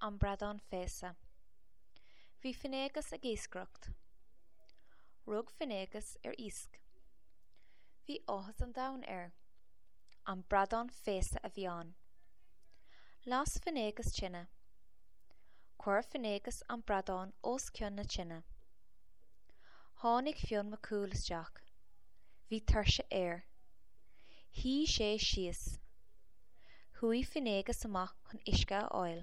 An Bradán Féasa. Bhí Finnéagas ag iascaireacht. Rug Finnéagas ar iasc. Bhí áthas an domhain air. An bradán féasa a bhí ann. Las Finnéagas tine. Chuir Finnéagas an bradán os cionn na tine. Tháinig Fionn Mac Cumhaill isteach. Bhí tuirse air. Shuigh sé síos. Chuaigh Finnéagas amach chun uisce a fháil.